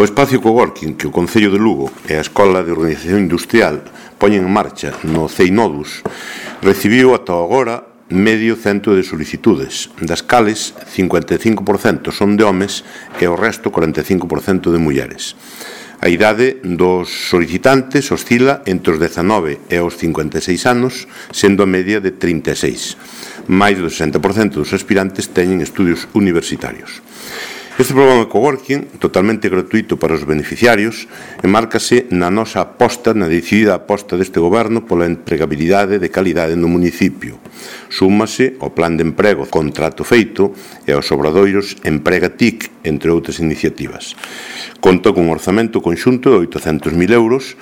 O espacio coworking que o Concello de Lugo e a Escola de Organización Industrial poñen en marcha no CEINODUS recibiu ata agora medio cento de solicitudes, das cales 55% son de homes e o resto 45% de mulleres. A idade dos solicitantes oscila entre os 19 e os 56 anos, sendo a media de 36. Mais do 60% dos aspirantes teñen estudios universitarios. Este programa de coworking, totalmente gratuito para os beneficiarios, enmárcase na nosa aposta, na decidida aposta deste goberno pola empregabilidade de calidade no municipio. Súmase ao plan de emprego Contrato Feito e aos obradoiros Emprega TIC, entre outras iniciativas. Conta cun orzamento conxunto de 800.000 euros